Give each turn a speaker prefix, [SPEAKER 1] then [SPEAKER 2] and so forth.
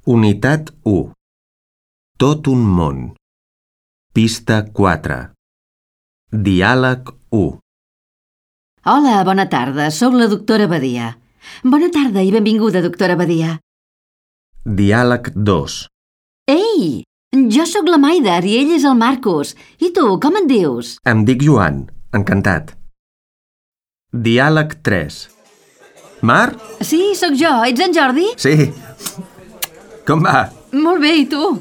[SPEAKER 1] Unitat 1. Tot un món. Pista 4. Diàleg 1.
[SPEAKER 2] Hola, bona tarda. Soc la doctora Badia. Bona tarda i benvinguda, doctora Badia.
[SPEAKER 1] Diàleg 2.
[SPEAKER 2] Ei! Jo sóc la Maider i ell és el Marcos. I tu, com et dius?
[SPEAKER 1] Em dic Joan. Encantat. Diàleg 3. Mar?
[SPEAKER 2] Sí, sóc jo. Ets en Jordi?
[SPEAKER 1] Sí. Com va?
[SPEAKER 2] Molt bé, i tu?